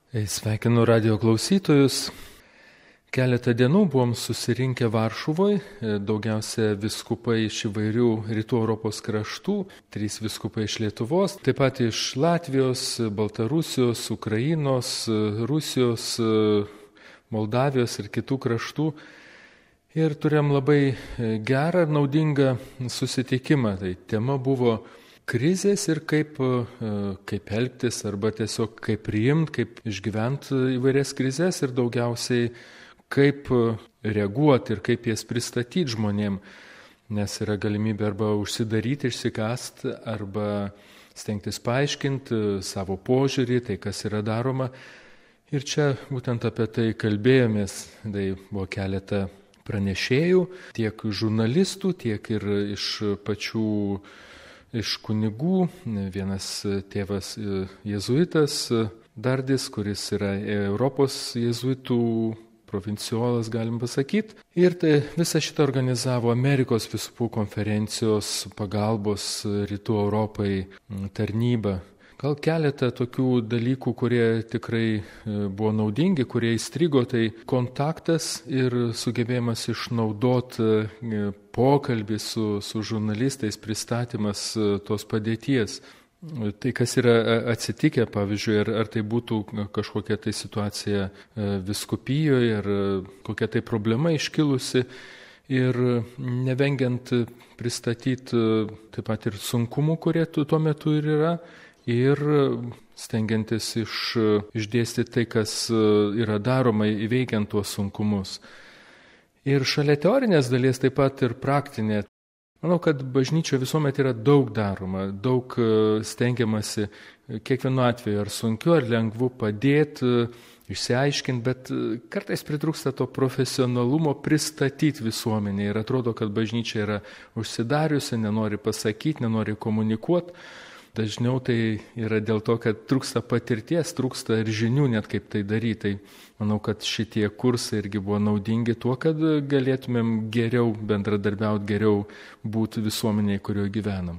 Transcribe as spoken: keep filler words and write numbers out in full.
Sveikinu radio klausytojus. Keletą dienų buvom susirinkę Varšuvoje, daugiausia viskupai iš įvairių rytų Europos kraštų, trys viskupai iš Lietuvos, taip pat iš Latvijos, Baltarusijos, Ukrainos, Rusijos, Moldavijos ir kitų kraštų. Ir turėjom labai gerą ir naudingą susitikimą. Tai tema buvo krizės ir kaip, kaip elgtis arba tiesiog kaip priimti, kaip išgyventi įvairias krizės ir daugiausiai kaip reaguoti ir kaip jas pristatyti žmonėm, nes yra galimybė arba užsidaryti, išsikasti, arba stengtis paaiškinti savo požiūrį, tai kas yra daroma. Ir čia būtent apie tai kalbėjomės, tai buvo keletą pranešėjų, tiek žurnalistų, tiek ir iš pačių iš kunigų, vienas tėvas jėzuitas Dardis, kuris yra Europos jėzuitų provinciolas, galim pasakyti. Ir tai visą šitą organizavo Amerikos vyskupų konferencijos pagalbos rytų Europai tarnyba. Gal keletą tokių dalykų, kurie tikrai buvo naudingi, kurie įstrigo, tai kontaktas ir sugebėjimas išnaudoti pokalbį su, su žurnalistais, pristatymas tos padėties. Tai kas yra atsitikę, pavyzdžiui, ar, ar tai būtų kažkokia tai situacija vyskupijoje, ar kokia tai problema iškilusi. Ir nevengiant pristatyti taip pat ir sunkumų, kurie tuo metu ir yra. Ir stengiantis iš, išdėstyti tai, kas yra daroma įveikiant tuos sunkumus. Ir šalia teorinės dalies taip pat ir praktinė. Manau, kad bažnyčia visuomet yra daug daroma, daug stengiamasi kiekvienu atveju ar sunkiu, ar lengvu padėti, išsiaiškinti, bet kartais pritrūksta to profesionalumo pristatyti visuomenį. Ir atrodo, kad bažnyčia yra užsidariusi, nenori pasakyti, nenori komunikuoti. Dažniau tai yra dėl to, kad trūksta patirties, trūksta ir žinių net kaip tai daryti. Tai manau, kad šitie kursai irgi buvo naudingi tuo, kad galėtumėm geriau bendradarbiauti, geriau būti visuomeniai, kurioje gyvenam.